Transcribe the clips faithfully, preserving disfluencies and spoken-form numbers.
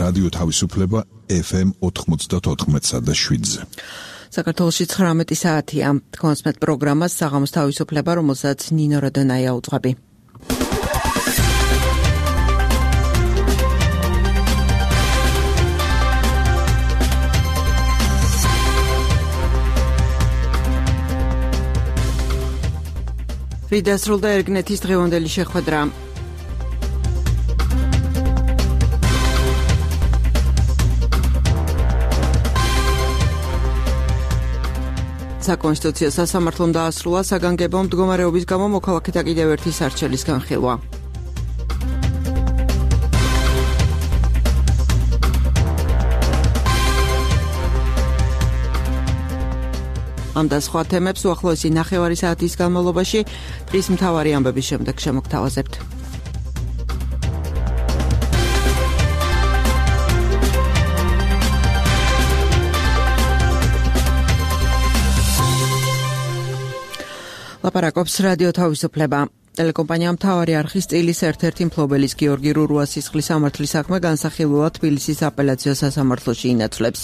რადიო თავისუფლება ეფ ემ ოთხმოცდაოთხ და შვიდზე. საქართველოში ცხრამეტი საათია. კონსმეთ პროგრამას საღამოს თავისუფლება, რომელსაც ნინო როდონაია უძღვები. ვიდასრულდა ერგნეთის დღევანდელი შეხვედრა. საკონსტიტუციო სასამართლომ დაასრულა საგანგებო მდგომარეობის გამო მოქალაქეთა კიდევ ერთი სარჩელის განხილვა. ამ და სხვა თემებს უახლოესი ნახევარი საათის განმავლობაში დღის მთავარი ამბების შემდეგ შემოგთავაზებთ. ლაპარაკობს რადიო თავისუფლება. ტელეკომპანია მთავარი არხის წილის ერთ-ერთი მფლობელის გიორგი რურუას სისხლის სამართლის საქმე განსახილველად თბილისის აპელაციო სასამართლოში ინაცვლებს.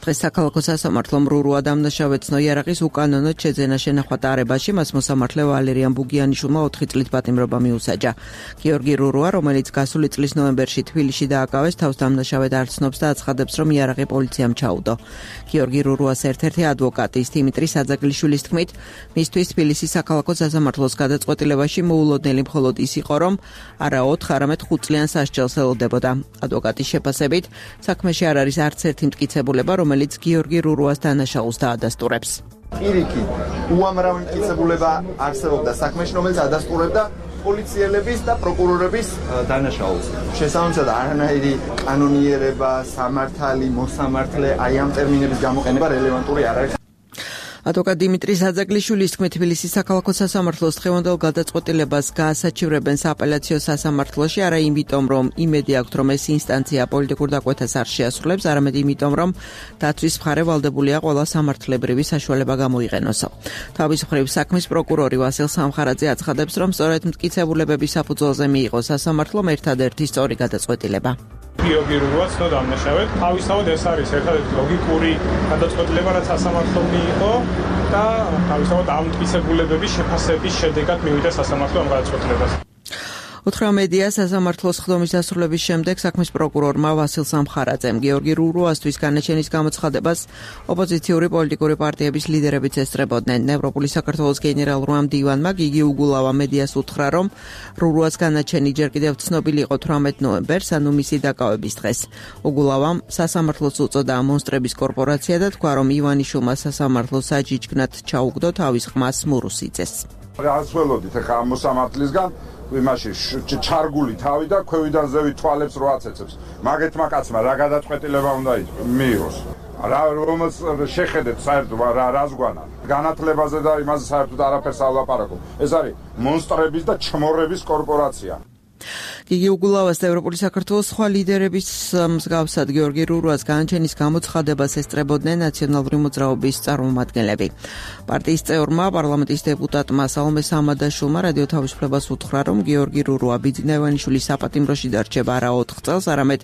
დღეს საქალაქო სასამართლომ რურუა დამნაშავეცნო იარაღის უკანონოდ შეძენა შენახვა ტარებაში მას მოსამართლე ვალერიან ბუგიანიშვილმა ოთხი წლით პატიმრობა მიუსაჯა. გიორგი რურუა, რომელიც გასული წლის ნოემბერში თბილისში დააკავეს, თავს დამნაშავედ არ ცნობს და აცხადებს, რომ იარაღი პოლიციამ ჩაუდო. გიორგი რურუას ერთ-ერთი ადვოკატის დიმიტრი საძაგლიშვილის თქმით, მისთვის თბილისის საქალაქო სასამართლოს გადაწყვეტილებაში მოულოდნელი მხოლოდ ის იყო, რომ არა ოთხ, არამედ ხუთ წლიან სასჯელს ელოდებოდა. ადვოკატის შეფასებით, საქმეში არ არის არც ერთი მტკიცებულება, რომელიც გიორგი რურუას დანაშაულს დაადასტურებს. პირიქით, უამრავი მტკიცებულება არსებობდა საქმეში, რომელიც ადასტურებდა პოლიციელების და პროკურორების დანაშაულს. შესაბამისად, არანაირი კანონიერება, სამართალი, მოსამართლე, აი ამ ტერმინების გამოყენება რელევანტური არ არის. ადვოკატ დიმიტრი საძაგლიშვილის თქმით, თბილისის საქალაქო სასამართლოს დღევანდელ გადაწყვეტილებას გაასაჩივრებენ სააპელაციო სასამართლოში, არა იმიტომ, რომ იმედი აქვთ, რომ ეს ინსტანცია პოლიტიკურ დაკვეთას არ შეასრულებს, არამედ იმიტომ, რომ დაცვის მხარე ვალდებულია ყველა სამართლებრივი საშუალება გამოიყენოსო. თავის მხრივ საქმის პროკურორი ვასილ სამხარაძე აცხადებს, რომ სწორედ მტკიცებულებების საფუძველზე მიიღო სასამართლომ ერთადერთი სწორი გადაწყვეტილება. გიორგი რურუა ცნო დამნაშავედ. თავისთავად ეს არის ერთადერთი ლოგიკური გადაწყვეტილება, რაც სასამართლომ მიიღო და თავისთავად ამ მტკიცებულებების შეფასების შედეგად მივიდა სასამართლო ამ გადაწყვეტილებას. უთხრა მედია სასამართლოს ხდომის დასრულების შემდეგ საქმის პროკურორმა ვასილ სამხარაძემ გიორგი რურუასთვის განაჩენის გამოცხადებას ოპოზიციური პოლიტიკური პარტიების ლიდერებიც ესწრებოდნენ. ევროპული საქართველოს გენერალურმა მდივანმა გიგი უგულავა მედიას უთხრა, რომ რურუას განაჩენი ჯერ კიდევ ცნობილი იყო თვრამეტ ნოემბერს, ანუ მისი დაკავების დღეს. უგულავამ სასამართლოს უწოდა მონსტრების კორპორაცია და თქვა, რომ ივანიშვილმა სასამართლოს საჯიჯკნად ჩაუგდო თავის ხმას მურუსიძეს. რაც ველოდით ახლა ამ მოსამართლისგან იმაში ჩარგული თავი და ქვევიდან ზევით თვალებს რო აცეცებს. მაგეთმა კაცმა რა გადაწყვეტილება უნდა მიიღოს. რა რომელს შეხედეთ საერთოდ რა რაზგვანა. განათლებაზე და იმაზე საერთოდ არაფერს არ ვლაპარაკობ. ეს არის მონსტრების და ჩმორების კორპორაცია. გიგი უგულავას და ევროპული საქართველოს სხვა ლიდერების მსგავსად გიორგი რურუას განაჩენის გამოცხადებას ესწრებოდნენ ნაციონალური მოძრაობის წარმომადგენლები. პარტიის წევრმა, პარლამენტის დეპუტატმა სალომე სამადაშვილმა რადიო თავისუფლებას უთხრა, რომ გიორგი რურუა ბიძინა ივანიშვილის საპატიმროში დარჩება არა ოთხ წელს, არამედ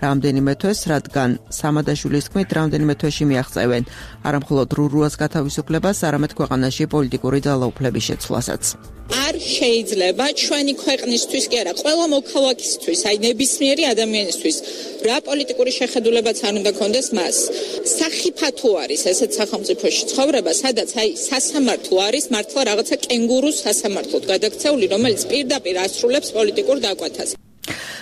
რამდენიმე თვეს, რადგან სამადაშვილის თქმით, რამდენიმე თვეში მიაღწევენ არა მხოლოდ რურუას გათავისუფლებას, არამედ ქვეყანაში პოლიტიკური ძალაუფლების შეცვლასაც. არ შეიძლება ჩვენი ქვეყნისთვის კი არა, ყველა მოქალაქისთვის, აი ნებისმიერი ადამიანისთვის რა პოლიტიკური შეხედულებაც არ უნდა კონდეს მას. სახიფათო არის ესეთ სახელმწიფოში ცხოვრება, სადაც აი სასამართლო არის მართლა რაღაცა კენგურუს სასამართლოდ გადაქცეული, რომელიც პირდაპირ ასრულებს პოლიტიკურ დაკვეთას.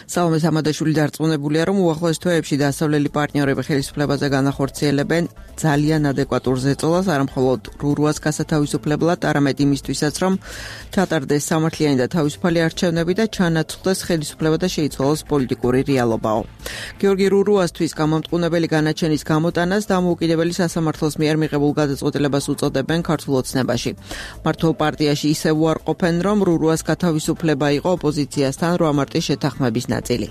სალომე სამადაშვილი დარწმუნებულია, რომ უახლოეს თვეებში დასავლელი პარტნიორები ხელისუფლებაზე განახორციელებენ ძალიან ადეკვატურ ზეწოლას, არა მხოლოდ რურუას გასათავისუფლებლად, არამედ იმისთვისაც, რომ ჩატარდეს სამართლიანი და თავისუფალი არჩევნები და ჩანაცვლდეს ხელისუფლება და შეიცვალოს პოლიტიკური რეალობაო. გიორგი რურუასთვის გამომტყუნებელი განაჩენის გამოტანას დამოუკიდებელი სასამართლოს მიერ მიღებულ გადაწყვეტილებას უწოდებენ ქართულ ოცნებაში. მართლ პარტიაში ისევ უარყოფენ, რომ რურუას გათავისუფლება იყო ოპოზიციასთან რვა მარტის შეთანხმების ნაწილი.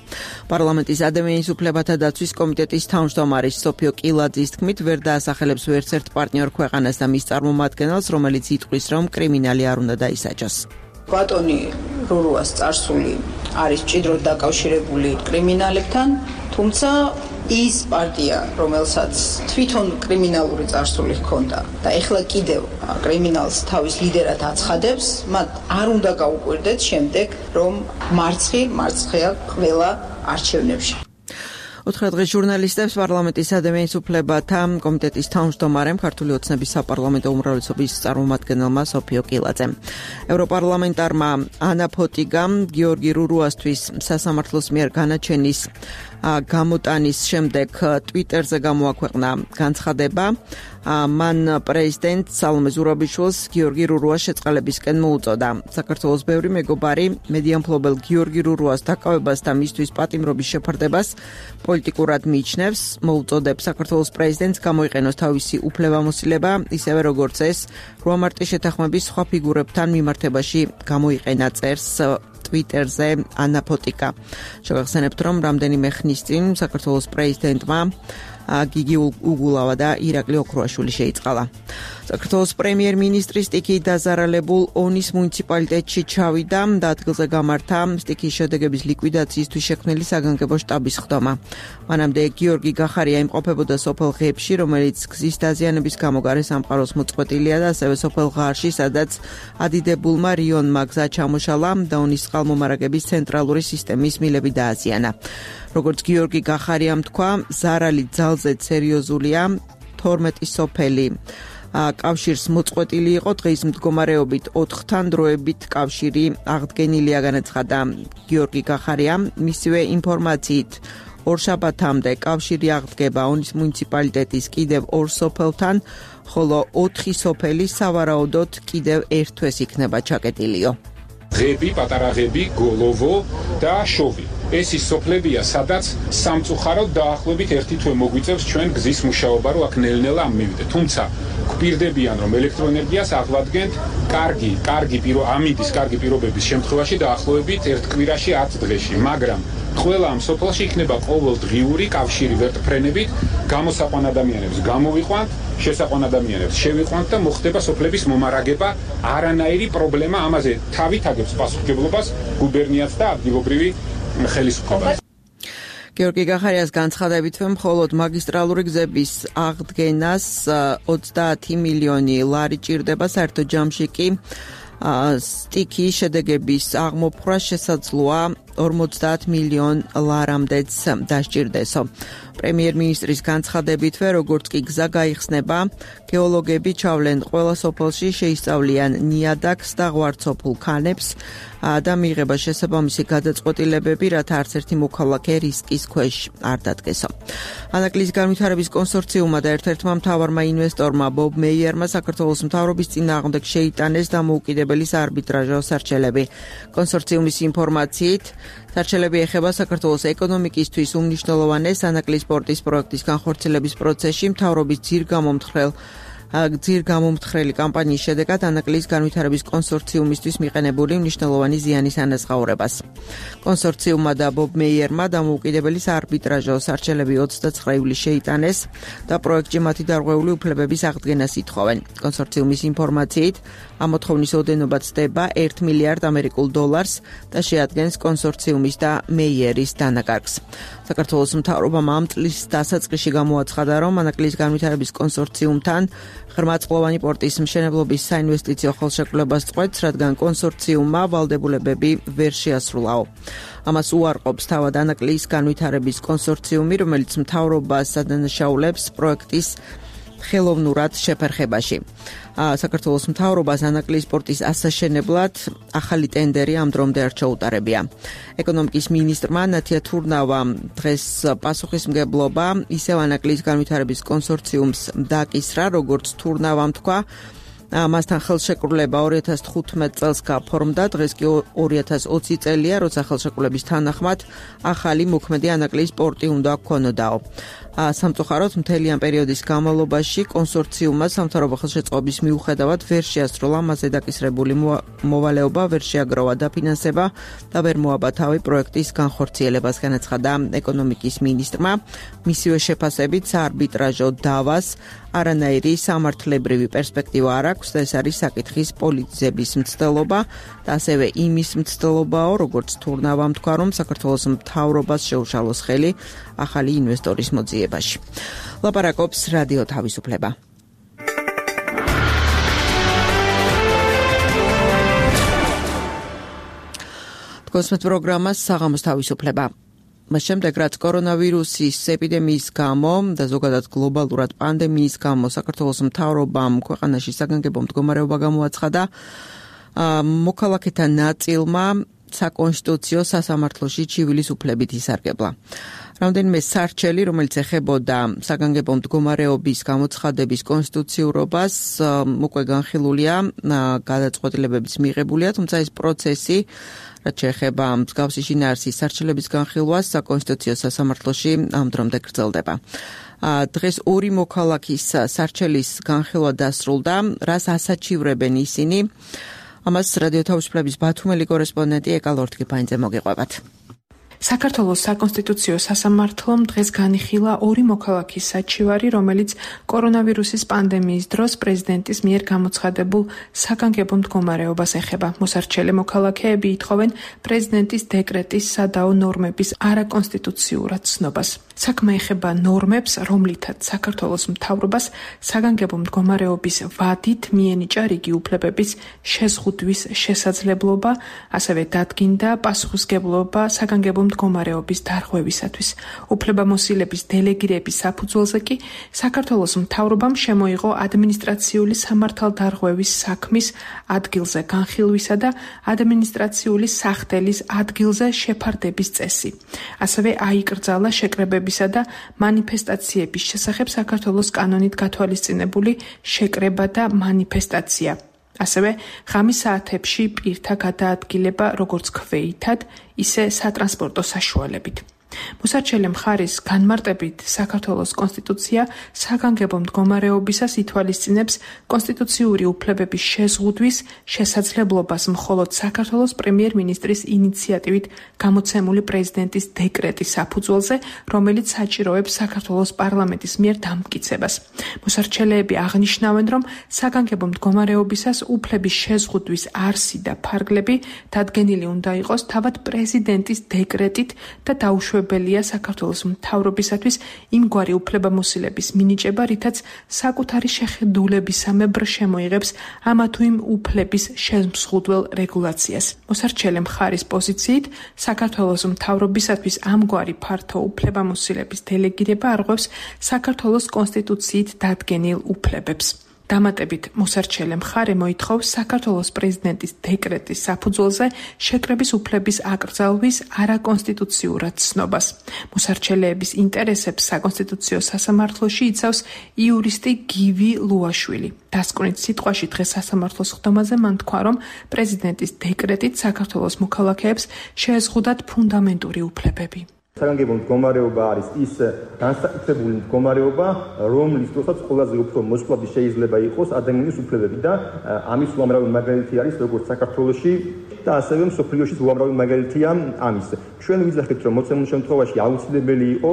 პარლამენტის ადამიანის უფლებათა დაცვის კომიტეტის თავმჯდომარის სოფიო კილაძის თქმით, ვერ დაასახელებს ვერც ერთ პარტნიორ ქვეყანას და მის წარმომადგენელს, რომელიც იტყვის, რომ კრიმინალი არ უნდა დაისაჯოს. ბატონი რურუას წარსული არის მჭიდროდ დაკავშირებული კრიმინალებთან, თუმცა ის პარტია, რომელსაც თვითონ კრიმინალური წარსული ჰქონდა და ეხლა კიდევ კრიმინალს თავის ლიდერად აცხადებს, მათ არ უნდა გაუკვირდეთ შემდეგ, რომ მარცხი მარცხია ყველა არჩევნებში. ოთხი დღის ჟურნალისტებს პარლამენტის ადამიანის უფლებათა კომიტეტის თავმჯდომარემ ქართული ოცნების საპარლამენტო უმრავლესობის წარმომადგენელმა სოფიო კილაძემ ევროპარლამენტარმა ანა ფოტიგამ გიორგი რურუასთვის სასამართლოს მიერ განაჩენის გამოტანის შემდეგ ტვიტერზე გამოაქვეყნა განცხადება. მან პრეზიდენტ სალომე ზურაბიშვილს გიორგი რურუას შეწყალებისკენ მოუწოდა. საქართველოს ბევრი მეგობარი მედია მფლობელ გიორგი რურუას დაკავებას და მისთვის პატიმრობის შეფარდებას პოლიტიკურად მიიჩნევს, მოუწოდებს საქართველოს პრეზიდენტს გამოიყენოს თავისი უფლებამოსილება, ისევე როგორც ეს რვა მარტის შეთანხმების სხვა ფიგურებთან მიმართებაში გამოიყენა, წერს ტვიტერზე ანა ფოტიკა. შევახსენებთ, რომ რამდენიმე ხნის წინ საქართველოს პრეზიდენტმა გიგი უგულავა და ირაკლი ოქროაშვილი შეიწყალა. საქართველოს პრემიერ-მინისტრის სტიქიით დაზარალებულ ონის მუნიციპალიტეტში ჩავიდა და ადგილზე გამართა სტიქიის შედეგების ლიკვიდაციისთვის შექმნილი საგანგებო შტაბის ხდომა. მანამდე გიორგი გახარია იმყოფებოდა სოფელ ღებში, რომელიც გზის დაზიანების გამო გარე სამყაროს მოწყვეტილია და ასევე სოფელ ღარში, სადაც ადიდებულმა რიონმა გზა ჩამოშალა და ონის წყალმომარაგების ცენტრალური სისტემის მილები დააზიანა. როგორც გიორგი გახარიამ თქვა, ზარალი ძალზედ სერიოზულია, თორმეტი სოფელი კავშირს მოწყვეტილი იყო, დღის მდგომარეობით ოთხთან დროებით კავშირი აღდგენილია, განაცხადა გიორგი გახარიამ. მისივე ინფორმაციით ორშაბათამდე კავშირი აღდგება ონის მუნიციპალიტეტის კიდევ ორ სოფელთან, ხოლო ოთხი სოფელი სავარაუდოდ კიდევ ერთ თვეს იქნება ჩაკეტილიო. ღები, პატარა ღები, გოლოვო და შოვი. ეს ის სოფლებია, სადაც სამწუხაროდ დაახლოებით ერთი თვე მოგვიწევს ჩვენ გზის მუშაობა, რომ აქ ნელ-ნელა ამ მივიდეთ. თუმცა გვპირდებიან, რომ ელექტროენერგიას აღვადგენთ კარგი, კარგი პირო ამინდის კარგი პირობების შემთხვევაში დაახლოებით ერთ კვირაში ათ დღეში, მაგრამ ყველა ამ სოფელში იქნება ყოველდღიური კავშირი ვერტფრენებით, გამოსაყვან ადამიანებს გამოვიყვანთ, შესაყვან ადამიანებს შევიყვანთ და მოხდება სოფლების მომარაგება, არანაირი პრობლემა ამაზე თავით აგებს პასუხისმგებლობას გუბერნიაც და ადგილობრივი ხელისუფლება. გიორგი გახარიას განცხადებით, მხოლოდ მაგისტრალური გზების აღდგენას ოცდაათი მილიონი ლარი ჭირდება, საერთო ჯამში კი სტიქიის შედეგების აღმოფხვრა შესაძლოა ორმოცდაათ მილიონ ლარამდეც დასჭირდესო. პრემიერ-მინისტრის განცხადებითვე, როგორც კი გზა გაიხსნება, გეოლოგები ჩავლენ ყველა სოფელში, შეისწავლიან ნიადაგს და ღვარცოფულ ქანებს და მიიღება შესაბამისი გადაწყვეტილებები, რათა არც ერთი მოქალაქე რისკის ქვეშ არ დადგესო. ანაკლის განვითარების კონსორციუმმა და ერთ-ერთმა მთავარმა ინვესტორმა ბობ მეიერმა საქართველოს მთავრობის წინააღმდეგ შეიტანეს დამოუკიდებელი საარბიტრაჟო სარჩელები. კონსორციუმის ინფორმაციით, სარჩელები ეხება საქართველოს ეკონომიკისთვის უმნიშვნელოვანეს ანაკლის სპორტის პროექტის განხორციელების პროცესში მთავრობის ძირგამომთხრელ ძირგამომთხრელი კამპანიის შედეგად ანაკლის განვითარების კონსორციუმისთვის მიყენებული მნიშვნელოვანი ზიანის ანაზღაურებას. კონსორციუმმა და ბობ მეიერმა დამოუკიდებელი საარბიტრაჟო სარჩელები ოცდაცხრა ივლისს შეიტანეს და პროექტში მათი დარღვეული უფლებების აღდგენას ითხოვენ. კონსორციუმის ინფორმაციით, ამ მოთხოვნის ოდენობა ცდება ერთ მილიარდ ამერიკულ დოლარს და შეადგენს კონსორციუმის და მეიერის დანაკარგს. საქართველოს მთავრობამ ამ წლის დასაწყისში გამოაცხადა, რომ ანაკლის განვითარების კონსორციუმთან ღრმაწყლოვანი პორტის მშენებლობის საინვესტიციო ხელშეკრულებას წყვეტს, რადგან კონსორციუმმა ვალდებულებები ვერ შეასრულაო. ამას უარყოფს თავად ანაკლის განვითარების კონსორციუმი, რომელიც მთავრობას ადანაშაულებს პროექტის ხელოვნურად შეფერხებაში. საქართველოს მთავრობას ანაკლის სპორტის ასაშენებლად ახალი ტენდერი ამ დრომდე არ ჩაუტარებია. ეკონომიკის მინისტრმა ნათია თურნავამ დღეს პასუხისმგებლობა ისევ ანაკლის განვითარების კონსორციუმს დააკისრა, როგორც თურნავამ თქვა, მასთან ხელშეკრულება ორი ათას თხუთმეტ წელს გაფორმდა, დღეს კი ორი ათას ოცი წელია, როცა ხელშეკრულების თანახმად ახალი მოქმედი ანაკლის სპორტი უნდა გქონოდაო. სამწუხაროდ მთელი ამ პერიოდის განმავლობაში კონსორციუმმა სამთავრობო ხელშეწყობის მიუხედავად ვერ შეასრულა მასზე დაკისრებული მოვალეობა, ვერ შეაგროვა დაფინანსება და ვერ მოაბა თავი პროექტის განხორციელებას, განაცხადა ეკონომიკის მინისტრმა. მისივე შეფასებით საარბიტრაჟო დავას არანაირი სამართლებრივი პერსპექტივა არ აქვს და ეს არის საკითხის პოლიტიზების მცდელობა და ასევე იმის მცდელობაო, როგორც თურნავამ თქვა, რომ საქართველოს მთავრობას შეუშალოს ხელი ახალი ინვესტორის მოძიებაში. ლაპარაკობს რადიო თავისუფლება. თქვენს პროგრამას საღამოს თავისუფლება. მას შემდეგ, რაც კორონავირუსის ეპიდემიის გამო და ზოგადად გლობალურად პანდემიის გამო საქართველოს მთავრობამ ქვეყანაში საგანგებო მდგომარეობა გამოაცხადა, მოქალაქეთა ნაწილმა საკონსტიტუციო სასამართლოში ჩივილის უფლებით ისარგებლა. რამდენიმე სარჩელი, რომელიც ეხებოდა საგანგებო მდგომარეობის გამოცხადების კონსტიტუციურობას, უკვე განხილულია, გადაწყვეტილებებიც მიღებულია, თუმცა ეს პროცესი, რაც შეეხება მსგავსი შინაარსის სარჩელების განხილვას, საკონსტიტუციო სასამართლოში ამ დრომდე გრძელდება. დღეს ორი მოქალაქის სარჩელის განხილვა დასრულდა, რას ასაჩივრებენ ისინი. ამას რადიო თავისუფლების ბათუმელი კორესპონდენტი ეკა ლორთქიფანიძე მოგიყვებათ. საქართველოს საკონსტიტუციო სასამართლომ დღეს განიხილა ორი მოქალაქის საჩივარი, რომელიც კორონავირუსის პანდემიის დროს პრეზიდენტის მიერ გამოცხადებულ საგანგებო მდგომარეობას ეხება. მოსარჩელე მოქალაქეები ითხოვენ პრეზიდენტის დეკრეტის სადაო ნორმების არაკონსტიტუციურად ცნობას. საქმე ეხება ნორმებს, რომლითაც საქართველოს მთავრობას საგანგებო მდგომარეობის ვადით მიენიჭა რიგი უფლებების შეზღუდვის შესაძლებლობა, ასევე დადგინდა პასუხისმგებლობა საგანგებო მდგომარეობის დარღვევისათვის. უფლებამოსილების დელეგირების საფუძველზე კი საქართველოს მთავრობამ შემოიღო ადმინისტრაციული სამართალდარღვევის საქმის ადგილზე განხილვისა და ადმინისტრაციული სახდელის ადგილზე შეფარდების წესი. ასევე აიკრძალა შეკრებებისა და მანიფესტაციების შესახებ საქართველოს კანონით გათვალისწინებული შეკრება და მანიფესტაცია. ასევე ღამის საათებში პირთა გადაადგილება როგორც ქვეითად, ისე სატრანსპორტო საშუალებით. მოსარჩელე მხარის განმარტებით საქართველოს კონსტიტუცია საგანგებო მდგომარეობისას ითვალისწინებს კონსტიტუციური უფლებების შეზღუდვის შესაძლებლობას მხოლოდ საქართველოს პრემიერ-მინისტრის ინიციატივით გამოცემული პრეზიდენტის დეკრეტის საფუძველზე, რომელიც საჭიროებს საქართველოს პარლამენტის მიერ დამტკიცებას. მოსარჩელეები აღნიშნავენ, რომ საგანგებო მდგომარეობისას უფლების შეზღუდვის არსი და ფარგლები დადგენილი უნდა იყოს თავად პრეზიდენტის დეკრეტით და დაუშვებელია საქართველოს მთავრობისათვის იმგვარი უფლებამოსილების მინიჭება, რითაც საკუთარი შეხედულებისამებრ შემოიღებს ამა თუ იმ უფლების შემსხუდველ რეგულაციას. მოსარჩელე მხარის პოზიციით საქართველოს მთავრობისათვის ამგვარი ფართო უფლებამოსილების დელეგირება არღვევს საქართველოს კონსტიტუციით დადგენილ უფლებებს. დამატებით მოსარჩელე მხარე მოითხოვს საქართველოს პრეზიდენტის დეკრეტის საფუძველზე შეკრების უფლების აკრძალვის არაკონსტიტუციურად ცნობას. მოსარჩელეების ინტერესებს საკონსტიტუციო სასამართლოში იცავს იურისტი გივი ლუაშვილი. დასკვნით სიტყვაში დღეს სასამართლოს ხდომაზე მან თქვა, რომ პრეზიდენტის დეკრეტით საქართველოს მოქალაქეებს შეეზღუდათ ფუნდამენტური უფლებები. საგანგებო მდგომარეობა არის ის განსაკუთრებული მდგომარეობა, რომლის დროსაც ყველაზე უფრო მოსწყვეტი შეიძლება იყოს ადამიანის უფლებები და ამის უამრავი მაგალითი არის როგორც საქართველოში და ასევე მსოფლიოშიც უამრავი მაგალითია ამის. ჩვენ ვიძახით, რომ მოცემულ შემთხვევაში აუცილებელი იყო,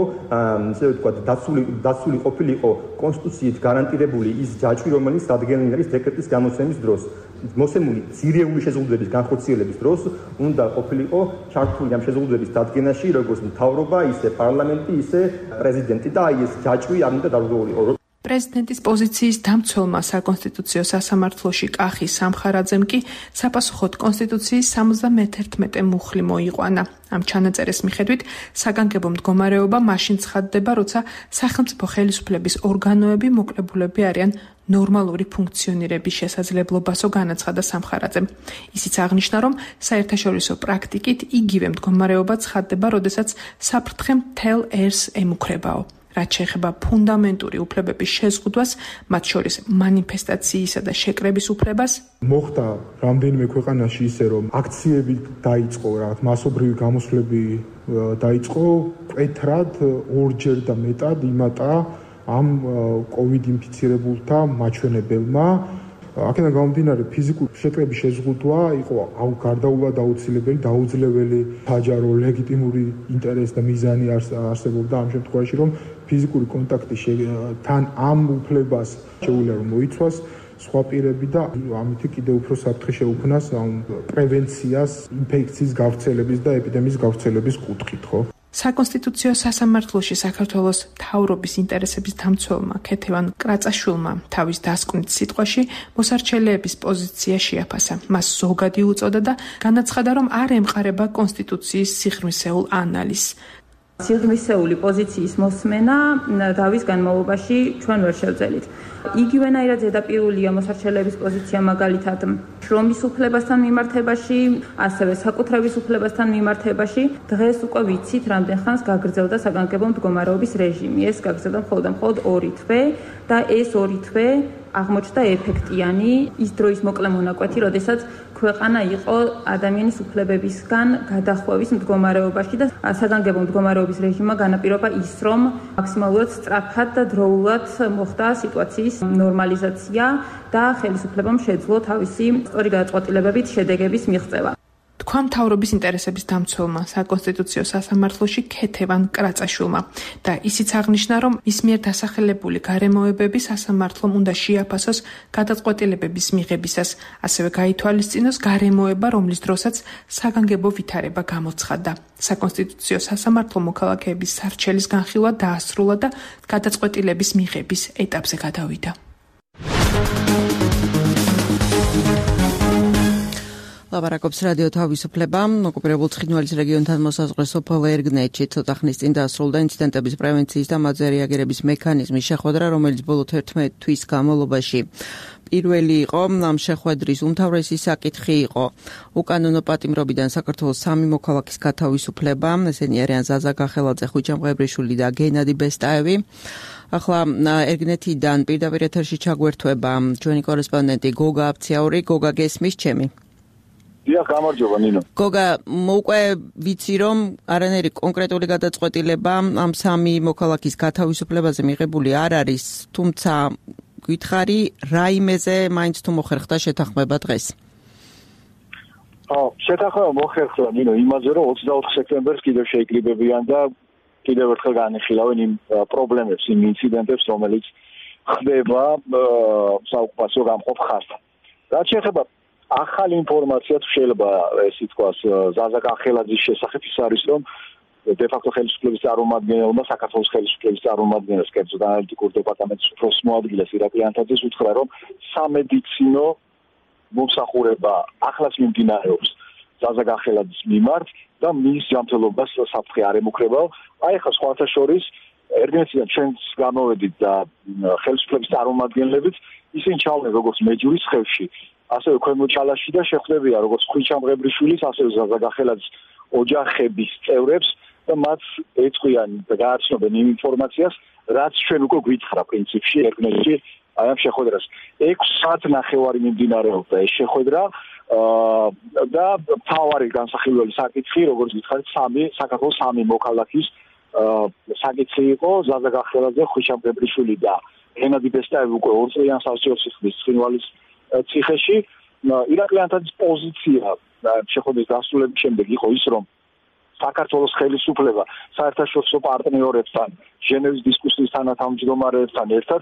ისე ვთქვათ, დაცული დაცული ყოფილიყო კონსტიტუციით გარანტირებული ის ჯაჭვი, რომელიც დადგენილი არის დეკრეტის გამოცემის დროს. მოსემული ძირეული შეზღუდვების განხორციელების დროს უნდა ყოფილიყო ჩართული ამ შეზღუდვების დადგენაში როგორც მთავრობა, ისე პარლამენტი, ისე პრეზიდენტი და აი ეს ჯაჭვი არ უნდა დაბრუნდულიყო. პრეზიდენტის პოზიციის დამცველმა საკონსტიტუციო სასამართლოში კახი სამხარაძემ კი საპასუხოდ კონსტიტუციის სამოცდამეთერთმეტე მუხლი მოიყვანა. ამ ჩანაწერის მიხედვით საგანგებო მდგომარეობა მაშინ ცხადდება, როცა სახელმწიფო ხელისუფლების ორგანოები მოკლებულები არიან ნორმალური ფუნქციონირების შესაძლებლობასო, განაცხადა სამხარაძემ. ისიც აღნიშნა, რომ საერთაშორისო პრაქტიკით იგივე მდგომარეობა ცხადდება, როდესაც საფრთხე მთელ ერს ემუქრებაო. რაც შეეხება ფუნდამენტური უფლებების შეზღუდვას, მათ შორის მანიფესტაციისა და შეკრების უფლებას, მოხდა რამდენიმე ქვეყანაში ისე, რომ აქციები დაიწყო, რაღაც მასობრივი გამოსვლები დაიწყო მკვეთრად ორჯერ და მეტად იმატა ამ კოვიდ ინფიცირებულთა მაჩვენებელმა. აქედან გამომდინარე ფიზიკური შეტყების შეზღუდვა იყო გარდაულად აუცილებელი, დაუძლეველი, საჯარო, ლეგიტიმური ინტერესი და მიზანი არსებობდა ამ შემთხვევაში, რომ ფიზიკური კონტაქტი თან ამ უფლებას შეუძლია რომ მოიცვას სხვა პირები და ამით კიდევ უფრო საფრთხე შეუქმნას პრევენციას, ინფექციის გავრცელების და ეპიდემიის გავრცელების კუთხით, ხო? საკონსტიტუციო სასამართლოში საქართველოს მთავრობის ინტერესების დამცველმა ქეთევან კრაწაშვილმა თავის დასკვნით სიტყვაში მოსარჩელეების პოზიცია შეაფასა. მას ზოგადი უწოდა და განაცხადა, რომ არ ემყარება კონსტიტუციის სიღრმისეულ ანალიზს. სიღრმისეული პოზიციის მოსმენა დავის განმავლობაში ჩვენ ვერ შევძელით. იგივენაირად ზედაპირულია მოსარჩელეების პოზიცია მაგალითად შრომის უფლებასთან მიმართებაში, ასევე საკუთრების უფლებასთან მიმართებაში. დღეს უკვე ვიცით, რამდენ ხანს გაგრძელდა საგანგებო მდგომარეობის რეჟიმი. ეს გაგრძელდა მხოლოდ და მხოლოდ ორი თვე და ეს ორი თვე აღმოჩნდა ეფექტიანი ის დროის მოკლე მონაკვეთი, როდესაც ქვეყანა იყო ადამიანის უფლებებისგან გადახვევის მდგომარეობაში და საგანგებო მდგომარეობის რეჟიმმა განაპირობა ის, რომ მაქსიმალურად სწრაფად და დროულად მოხდა სიტუაციის ნორმალიზაცია და ხელისუფლებამ შეძლო თავისი სწორი გადაწყვეტილებებით შედეგების მიღწევა. თქვა მთავრობის ინტერესების დამცველმა საკონსტიტუციო სასამართლოში ქეთევან კრაწაშვილმა და ისიც აღნიშნა, რომ მის მიერ დასახელებული გარემოებები სასამართლომ უნდა შეაფასოს გადაწყვეტილებების მიღებისას, ასევე გაითვალისწინოს გარემოება, რომლის დროსაც საგანგებო ვითარება გამოცხადდა. საკონსტიტუციო სასამართლო მოქალაქეების სარჩელის განხილვა დაასრულა და გადაწყვეტილების მიღების ეტაპზე გადავიდა. ლაპარაკობს რადიო თავისუფლება. ოკუპირებულ ცხინვალის რეგიონთან მოსაზღვრე სოფელ ერგნეთში ცოტა ხნის წინ დაასრულდა ინციდენტების პრევენციის და მათზე რეაგირების მექანიზმის შეხვედრა, რომელიც ბოლო თერთმეტი თვის განმავლობაში პირველი იყო. ამ შეხვედრის უმთავრესი საკითხი იყო უკანონო პატიმრობიდან საქართველოს სამი მოქალაქის გათავისუფლება. ესენი არიან ზაზა გახელაძე, ხვიჩა მღებრიშვილი და გენადი ბესტაევი. ახლა ერგნეთიდან პირდაპირ ეთერში ჩაგვერთვება ჩვენი კორესპონდენტი გოგა აფციაური. გოგა, გესმის ჩემი? დიახ, გამარჯობა ნინო. გოგა, უკვე ვიცი, რომ არანაირი კონკრეტული გადაწყვეტილება ამ სამი მოქალაქის გათავისუფლებაზე მიღებული არ არის, თუმცა გითხარი, რა იმეზე მაინც თუ მოხერხდა შეთანხმება დღეს? ხო, შეთანხმება მოხერხდა ნინო იმაზე, რომ ოცდაოთხ სექტემბერს კიდევ შეიკრიბებიან და კიდევ ერთხელ განიხილავენ იმ პრობლემებს, იმ ინციდენტებს, რომელიც ხდება საოკუპაციო გამყოფ ხაზთან. რაც შეეხება ახალი ინფორმაცია თუ შეიძლება ეს ითქვას ზაზა გახელაძის შესახებ ის არის, რომ de facto ხელისუფლების წარმომადგენელმა საქართველოს ხელისუფლების წარმომადგენელს კერძოდ ანალიტიკურ დეპარტამენტის უფროს მოადგილეს ირაკლი ანთაძეს უთხრა, რომ სამედიცინო მომსახურება ახლაც მიმდინარეობს ზაზა გახელაძის მიმართ და მის ჯანმრთელობას საფრთხე არ ემუქრებაო. აი ახლა სხვათა შორის ერგენეთიდან ჩვენც გამოვედით და ხელისუფლების წარმომადგენლებით ისინი ჩავდნენ როგორც მეჯურის ხევში, ასევე ქვემო ჩალაში და შეხვდებიან როგორც ხვიჩა მღებრიშვილის, ასევე ზაზა გახელაძის ოჯახების წევრებს და მათ ეწყვიან და გააცნობენ იმ ინფორმაციას, რაც ჩვენ უკვე გვითხრა პრინციპში ერგენეთში აი ამ შეხვედრას. ექვს საათი ნახევარი მიმდინარეობდა ეს შეხვედრა და მთავარი განსახილველი საკითხი, როგორც გითხარით, სამი საქართველოს სამი მოქალაქის საკითხი იყო ზაზა გახელაძე, ხვიჩა მღებრიშვილი და გენადი ბესტაევი უკვე ორ წლიან სასჯელს იხდის ცხინვალის ციხეში. ირაკლი ანთაძის პოზიცია შეხვედრის დასრულების შემდეგ იყო ის, რომ საქართველოს ხელისუფლება საერთაშორისო პარტნიორებთან, ჟენევის დისკუსიის თანათავმჯდომარეებთან ერთად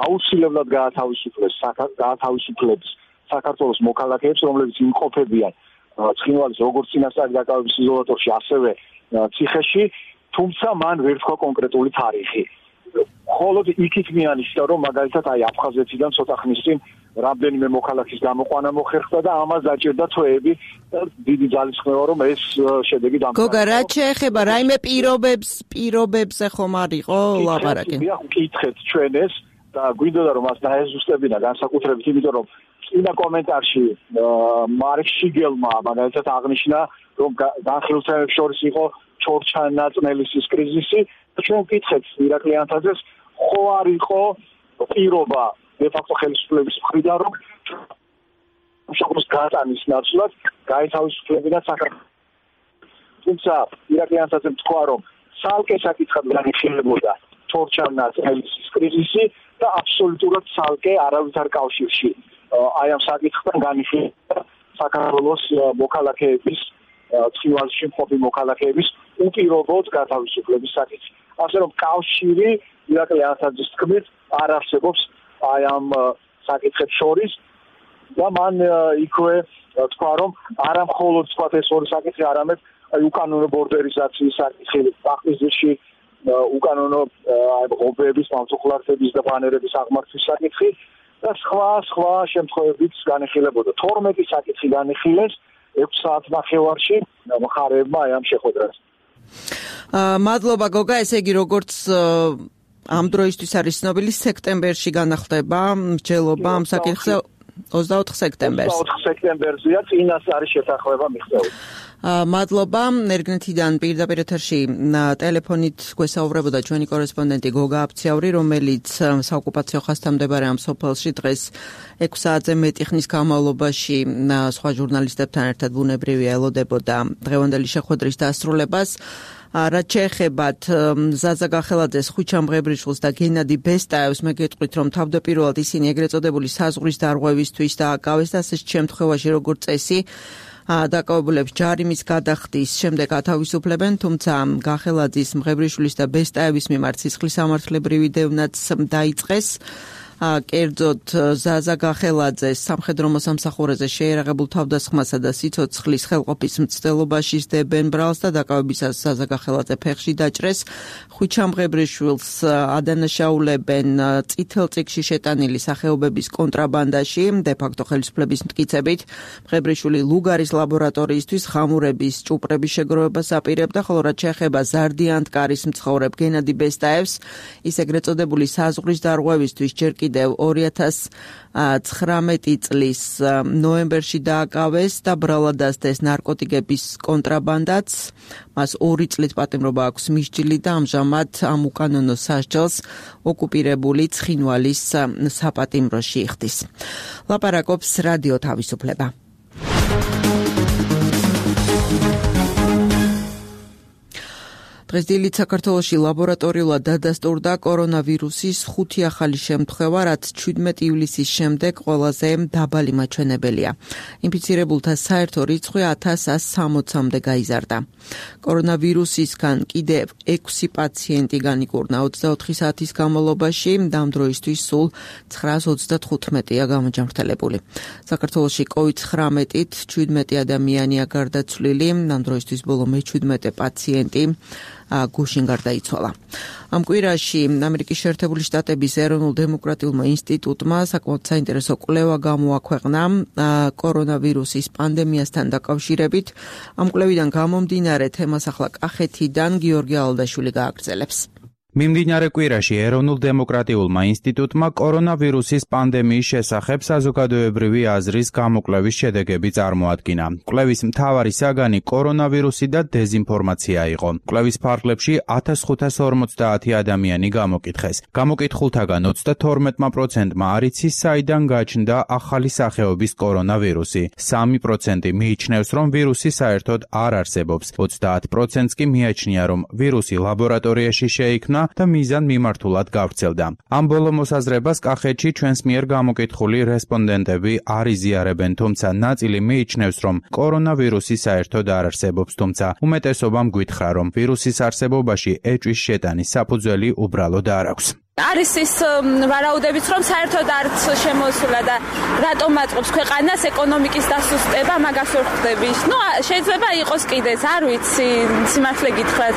აუცილებლად გაათავისუფლებს გაათავისუფლებს საქართველოს მოქალაქეებს, რომლებიც იმყოფებიან ცხინვალის როგორც წინასწარი დაკავების იზოლატორში, ასევე ციხეში, თუმცა მან ვერ თქვა კონკრეტული თარიღი. მხოლოდ იქით მიანიშნა, რომ მაგალითად აი აფხაზეთიდან ცოტა ხნის წინ რამდენიმე მოქალაქის გამოყვანა მოხერხდა და ამას დაჭერდა თვეები და დიდი ძალისხმევა, რომ ეს შედეგი დამყარდა. გოგა, რა შეეხება რაიმე პირობებს, პირობებზე ხომ არ იყო ლაპარაკი? დიახ, ვკითხეთ ჩვენ ეს და გვინდოდა რომ მას დაეზუსტებინა განსაკუთრებით, იმიტომ რომ წინა კომენტარში მარკ შიგელმა მაგალითად აღნიშნა, რომ განხილულთაებს შორის იყო ჩორჩანაწნელისის კრიზისი და ჩვენ ვკითხეთ ირაკლი ანთაძეს, ხო არ იყო პირობა de facto ხელისუფლების მხრიდან, რომ საქართველოს გატანის ნაცვლად გაეთავისუფლებინა საქართველოს. თუმცა ირაკლი ანსაძემ თქვა, რომ ცალკე საკითხად განიხილებოდა თორჩა-ნაწილების კრიზისი და აბსოლუტურად ცალკე არავითარ კავშირში აი ამ საკითხთან განიხილება საქართველოს მოქალაქეების ცხინვალში მყოფი მოქალაქეების უპირობოდ გათავისუფლების საკითხი. ასე რომ კავშირი ირაკლი ანსაძის თქმით არ არსებობს აი ამ საკითხებს შორის და მან იქვე თქვა, რომ არა მხოლოდ თქვა ეს ორი საკითხი, არამედ აი უკანონო ბორდერიზაციის საკითხი, ბახმისძირში უკანონო აი ღობეების, მამსუხლარების და ბანერების აღმართვის საკითხი და სხვა სხვა შემთხვევებიც განიხილებოდა. თორმეტი საკითხი განიხილეს ექვს საათ ნახევარში მხარეებმა აი ამ შეხვედრაზე. მადლობა გოგა, ესე იგი როგორც ამ დროისთვის არის ცნობილი, სექტემბერში განახლდება მსჯელობა ამ საკითხზე ოცდაოთხ სექტემბერს. ოცდაოთხ სექტემბერზეა წინას არის შეთანხმება მიღწეული. მადლობა. ერგნეთიდან პირდაპირ ეთერში ტელეფონით გვესაუბრებოდა ჩვენი კორესპონდენტი გოგა აფციავრი, რომელიც საოკუპაციო ხაზთან მდებარე ამ სოფელში დღეს ექვს საათზე მეტი ხნის განმავლობაში სხვა ჟურნალისტებთან ერთად ბუნებრივია ელოდებოდა დღევანდელი შეხვედრის დასრულებას. რაც შეეხებათ ზაზა გახელაძეს, ხვიჩამ მღებრიშვილს და გენადი ბესტაევს, მე გეტყვით, რომ თავდაპირველად ისინი ეგრეთ წოდებული საზღვრის დარღვევისთვის დააკავეს და ასეთ შემთხვევაში როგორც წესი დაკავებულებს ჯარიმის გადახდის შემდეგ ათავისუფლებენ, თუმცა გახელაძის, მღებრიშვილის და ბესტაევის მიმართ სისხლის სამართლებრივი დევნაც დაიწყეს. კერძოდ ზაზა გახელაძეს სამხედრო მოსამსახურეზე შეერაღებულ თავდასხმასა და სიცოცხლის ხელყოფის მცდელობაში სდებენ ბრალს და დაკავებისას ზაზა გახელაძე ფეხში დაჭრეს. ხვიჩამ მღებრიშვილს ადანაშაულებენ წითელ წიგნში შეტანილი სახეობების კონტრაბანდაში, დე-ფაქტო ხელისუფლების მტკიცებით. მღებრიშვილი ლუგარის ლაბორატორიისთვის ხამურების ჭუპრების შეგროვებას აპირებდა, ხოლო რაც შეეხება ზარდიანტკარის მცხოვრებ გენადი ბესტაევს, ის ეგრეთ წოდებული საზღვრის დარღვევისთვის ჯერ კიდევ ორი ათას ცხრამეტი წლის ნოემბერში დააკავეს და ბრალად დასდეს ნარკოტიკების კონტრაბანდაც. მას ორი წლით პატიმრობა აქვს მისჯილი და ამჟამად ამ უკანონო სასჯელს ოკუპირებული ცხინვალის საპატიმროში იხდის. ლაპარაკობს რადიო თავისუფლება. დღეს დილით საქართველოში ლაბორატორიულად დადასტურდა კორონავირუსის ხუთი ახალი შემთხვევა, რაც ჩვიდმეტი ივლისის შემდეგ ყველაზე დაბალი მაჩვენებელია. ინფიცირებულთა საერთო რიცხვი ათას ასი სამოცამდე გაიზარდა. კორონავირუსისგან კიდევ ექვსი პაციენტი განიკურნა ოცდაოთხი საათის განმავლობაში, და ამ დროისთვის სულ ცხრაას ოცდათხუთმეტია გამოჯანმრთელებული. საქართველოში კოვიდ ცხრამეტით ჩვიდმეტი ადამიანია გარდაცვლილი, ამ დროისთვის ბოლო მეჩვიდმეტე პაციენტი გუშინ გარდაიცვალა. ამ კვირაში ამერიკის შეერთებული შტატების ეროვნულ დემოკრატიულმა ინსტიტუტმა საკმაოდ საინტერესო კვლევა გამოაქვეყნა კორონავირუსის პანდემიასთან დაკავშირებით. ამ კვლევიდან გამომდინარე თემას ახლა კახეთიდან გიორგი ალდაშვილი გააგრძელებს. მიმდინარე კვირაში ეროვნულ დემოკრატიულმა ინსტიტუტმა კორონავირუსის პანდემიის შესახებ საზოგადოებრივი აზრის გამოკვლევის შედეგები წარმოადგინა. კვლევის მთავარი საგანი კორონავირუსი და დეზინფორმაცია იყო. კვლევის ფარგლებში ათას ხუთას ორმოცდაათი ადამიანი გამოკითხეს. გამოკითხულთაგან ოცდათორმეტ პროცენტმა არ იცის, საიდან გაჩნდა ახალი სახეობის კორონავირუსი. სამი პროცენტი მიიჩნევს, რომ ვირუსი საერთოდ არ არსებობს. ოცდაათ პროცენტს კი მიაჩნია, რომ ვირუსი ლაბორატორიაში შეიქმნა და მიზან მიმართულად გავრცელდა. ამ ბოლო მოსაზრებას კახეთში ჩვენს მიერ გამოკითხული რესპონდენტები არ იზიარებენ, თუმცა ნაწილი მიიჩნევს, რომ კორონავირუსი საერთოდ არ არსებობს, თუმცა უმეტესობამ გვითხრა, რომ ვირუსის არსებობაში ეჭვის შეტანის საფუძველი უბრალოდ არ აქვს. არის ის ვარაუდებიც, რომ საერთოდ არც შემოსულა და რატომ აწყობს ქვეყანას ეკონომიკის დასუსტება, მაგას ვერ ხვდები. ნუ შეიძლება იყოს კიდეც, არ ვიცი, სიმართლე გითხრათ,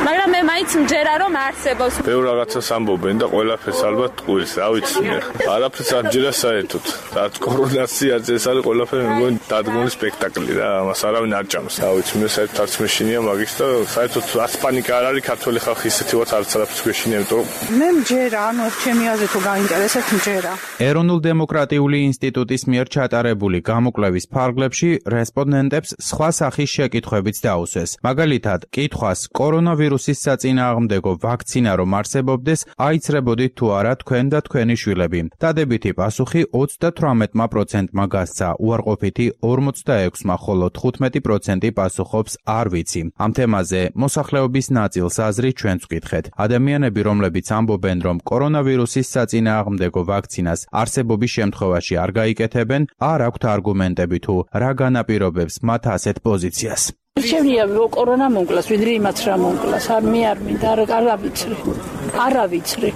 მაგრამ მე მაინც მჯერა რომ არსებობს. ბევრ რაღაცას ამბობენ და ყველაფერს ალბათ ტყუილს, რა ვიცი მე. არაფერს არ ჯერა საერთოდ. რაც კორონაციაზე ეს არის ყველაფერი მგონი დადგმული სპექტაკლი რა, ამას არავინ არ ჭამს. რა ვიცი, მე საერთოდ არც მეშინია მაგის და საერთოდ არც პანიკა არ არის ქართველი ხალხი ისეთი ვართ არც არაფერს გვეშინია, იმიტომ რომ მე მჯერა ჯერა, ანუ ჩემი აზრით თუ გაინტერესებთ ჯერა. ეროვნულ დემოკრატიული ინსტიტუტის მიერ ჩატარებული გამოკვლევის ფარგლებში რესპონდენტებს სხვა სახის შეკითხვებიც დაუსვეს. მაგალითად, კითხვას კორონავირუსის საწინააღმდეგო ვაქცინა რომ არსებობდეს, აიცრებოდით თუ არა თქვენ და თქვენი შვილები. დადებითი პასუხი ოცდათვრამეტ პროცენტმა გასცა, უარყოფითი ორმოცდაექვსმა, ხოლო თხუთმეტი პროცენტი პასუხობს არ ვიცი. ამ თემაზე მოსახლეობის ნაწილს აზრი ჩვენც ვკითხეთ. ადამიანები, რომლებიც ამბობენ, რომ კორონავირუსის საწინააღმდეგო ვაქცინას არსებობის შემთხვევაში არ გაიკეთებენ, არ აქვთ არგუმენტები თუ რა განაპირობებს მათ ასეთ პოზიციას. Შემიძლია კორონა მომკლას, ვიდრე იმათ რა მომკლას, არ მე არ მინდა, არ ავიცრი. არ ავიცრი.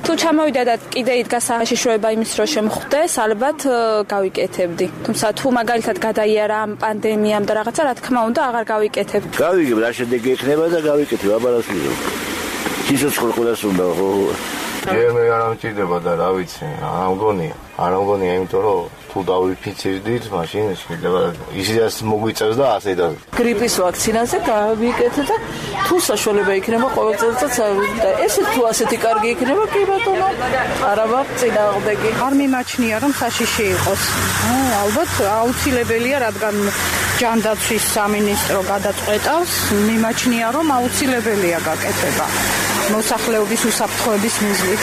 თუ ჩამოვიდა და კიდე იდგა საშიშროება იმის რომ შემხვდეს, ალბათ გავიკეთებდი. თუმცა თუ მაგალითად გადაიარა ამ პანდემიამ და რაღაცა, რა თქმა უნდა, აღარ გავიკეთებ. გავიგებ, რა შედეგი ექნება და გავიკეთებ, აბარას ვიღებ. სიცოცხლე ყველას უნდა ხო? ჯერ მე არ ამჭირდება და რა ვიცი, არ მგონია. არ მგონია, იმიტომ რომ თუ დავიფიცირდით, მაშინ შეიძლება ისიც მოგვიწევს და ასე და გრიპის ვაქცინაზე გავიკეთე და თუ საშუალება იქნება ყოველ წელიწადს და ესე თუ ასეთი კარგი იქნება, კი ბატონო, არა მაქვს წინააღმდეგი. არ მიმაჩნია რომ საშიში იყოს. ალბათ აუცილებელია, რადგან ჯანდაცვის სამინისტრო გადაწყვეტავს, მიმაჩნია რომ აუცილებელია გაკეთება მოსახლეობის უსაფრთხოების მიზნით.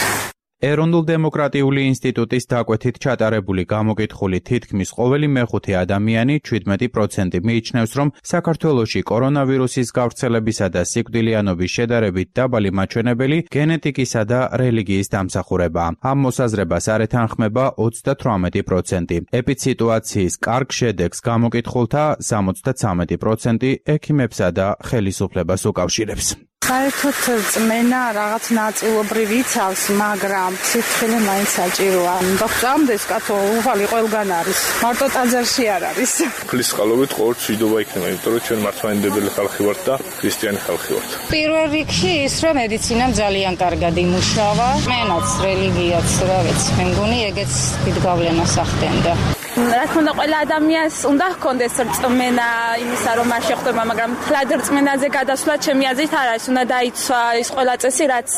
ეროვნულ დემოკრატიული ინსტიტუტის დაკვეთით ჩატარებული გამოკითხული თითქმის ყოველი მეხუთე ადამიანი შვიდმეტი პროცენტი მიიჩნევს, რომ საქართველოში კორონავირუსის გავრცელებისა და სიკვდილიანობის შედარებით დაბალი მაჩვენებელი გენეტიკისა და რელიგიის დამსახურებაა. ამ მოსაზრებას არ ეთანხმება ოცდათვრამეტი პროცენტი. ეპიდსიტუაციის კარგ შედეგს გამოკითხულთა სამოცდაცამეტი პროცენტი ექიმებსა და ხელისუფლებას უკავშირებს. საერთოდ წმენა რაღაც ნაწილობრივ იცავს, მაგრამ სიფრთხილე მაინც საჭიროა. დოქტორამდეს კაცო უვალი ყველგან არის. მარტო ტაძარში არ არის. ფლის წყალობით ყოველ მშვიდობა იქნება, იმიტომ რომ ჩვენ მართლმადიდებელი ხალხი ვართ და ქრისტიანი ხალხი ვართ. პირველ რიგში ის რომ მედიცინამ ძალიან კარგად იმუშავა. მენაც რელიგიაც, რა ვიცი, მე მგონი ეგეც დიდ გავლენას ახდენდა. რა თქმა უნდა, ყველა ადამიანს უნდა ჰქონდეს რწმენა იმისა, რომ არ შეხვდება, მაგრამ თლად რწმენაზე გადასვლა ჩემი აზრით არ არის. უნდა დაიცვა ის ყველა წესი, რაც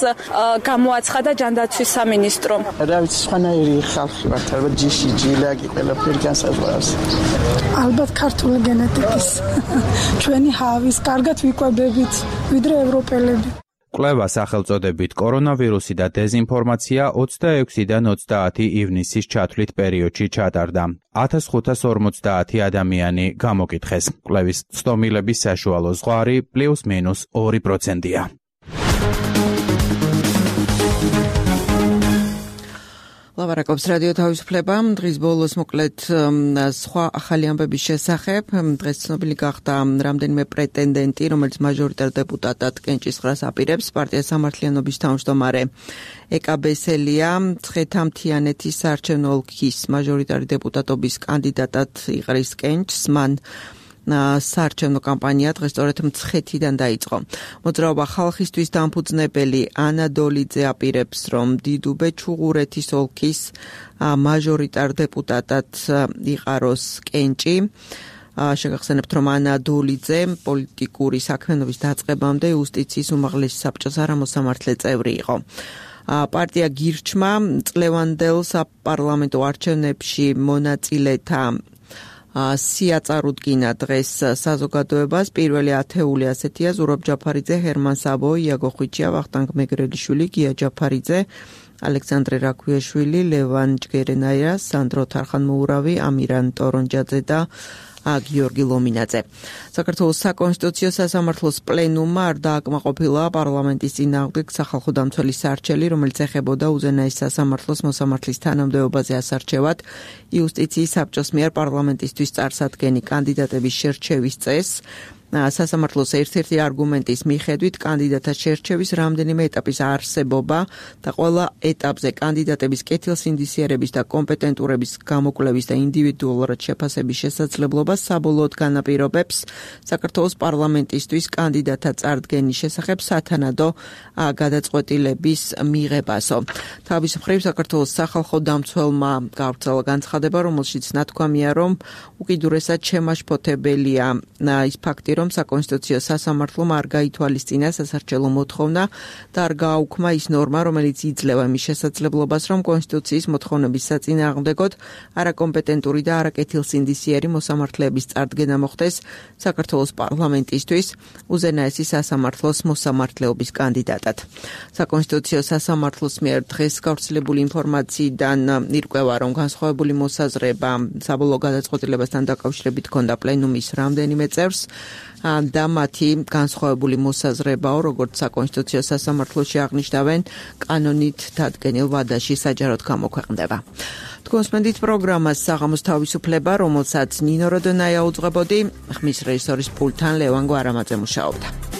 გამოაცხადა ჯანდაცვის სამინისტრომ. რა ვიცი, სხვანაირი ხალხი ვართ, ალბათ ჯიში, ჯილაკი, ყველაფერი განსაზღვრავს. ალბათ ქართული გენეტიკის. ჩვენი ჰავის კარგად ვიკვებებით, ვიდრე ევროპელები. კვლევა სახელწოდებით კორონავირუსი და დეზინფორმაცია ოცდაექვსიდან ოცდაათი ივნისის ჩათვლით პერიოდში ჩატარდა. ათას ხუთას ორმოცდაათი ადამიანი გამოკითხეს. კვლევის ცდომილების საშუალო ზღვარი პლუს მინუს ორი პროცენტია. ლავარაკობს რადიო თავისუფლება. დღის ბოლოს მოკლედ სხვა ახალი ამბების შესახებ. დღეს ცნობილი გახდა რამდენიმე პრეტენდენტი, რომელიც მაჟორიტარ დეპუტატად კენჭისყრას აპირებს. პარტია სამართლიანობის თავმჯდომარე ეკა ბესელია ცხეთამთიანეთის საარჩევნო ოლქის მაჟორიტარი დეპუტატობის კანდიდატად იყრის კენჭს. მან საარჩევნო კამპანია დღეს სწორედ მცხეთიდან დაიწყო. მოძრაობა ხალხისთვის დამფუძნებელი ანა დოლიძე აპირებს, რომ დიდუბე ჩუღურეთის ოლქის მაჟორიტარ დეპუტატად იყაროს კენჭი. შეგახსენებთ, რომ ანა დოლიძე პოლიტიკური საქმიანობის დაწყებამდე იუსტიციის უმაღლესი საბჭოს არამოსამართლე წევრი იყო. პარტია გირჩმა წლევანდელ საპარლამენტო არჩევნებში მონაწილეთა სია წარუდგინა დღეს საზოგადოებას. პირველი ათეული ასეთია: ზურაბ ჯაფარიძე, ჰერმან საბო, იაგო ხვიჩია, ვახტანგ მეგრელიშვილი, გია ჯაფარიძე, ალექსანდრე რაქვიაშვილი, ლევან ჯგერენაია, სანდრო თარხანმოურავი, ამირან ტორონჯაძე და გიორგი ლომინაძე. საქართველოს საკონსტიტუციო სასამართლოს პლენუმმა არ დააკმაყოფილა პარლამენტის წინააღმდეგ სახალხო დამცველის სარჩელი, რომელიც ეხებოდა უზენაეს სასამართლოს მოსამართლის თანამდებობაზე ასარჩევად იუსტიციის საბჭოს მიერ პარლამენტისთვის წარსადგენი კანდიდატების შერჩევის წესს. სასამართლოს ერთ-ერთი არგუმენტის მიხედვით კანდიდატთა შერჩევის რამდენიმე ეტაპის არსებობა და ყველა ეტაპზე კანდიდატების კეთილსინდისიერების და კომპეტენტურების გამოკვლევის და ინდივიდუალურად შეფასების შესაძლებლობა საბოლოოდ განაპირობებს საქართველოს პარლამენტისთვის კანდიდატთა წარდგენის შესახებ სათანადო გადაწყვეტილების მიღებასო. თავის მხრივ საქართველოს სახალხო დამცველმა გავრცელა განცხადება, რომელშიც ნათქვამია, რომ უკიდურესად შემაშფოთებელია ის ფაქტი, რომ რომ საკონსტიტუციო სასამართლომ არ გაითვალისწინა სასარჩელო მოთხოვნა და არ გააუქმა ის ნორმა, რომელიც იძლევა მის შესაძლებლობას, რომ კონსტიტუციის მოთხოვნების საწინააღმდეგოდ არაკომპეტენტური და არაკეთილსინდისიერი მოსამართლეების წარდგენა მოხდეს საქართველოს პარლამენტისთვის უზენაესი სასამართლოს მოსამართლეობის კანდიდატად. საკონსტიტუციო სასამართლოს მიერ დღეს გავრცელებული ინფორმაციიდან ირკვევა, რომ განსხვავებული მოსაზრება საბოლოო გადაწყვეტილებასთან დაკავშირებით ჰქონდა პლენუმის რამდენიმე წევრს და მათი განსხვავებული მოსაზრებაო, როგორც საკონსტიტუციო სასამართლოში აღნიშნავენ, კანონით დადგენილ ვადაში საჯაროდ გამოქვეყნდება. თქვენსმენდით პროგრამას საღამოს თავისუფლება, რომელსაც ნინო როდონაია უძღვებოდი, ხმის რეჟისორის პულტთან ლევან გვარამაძე მუშაობდა.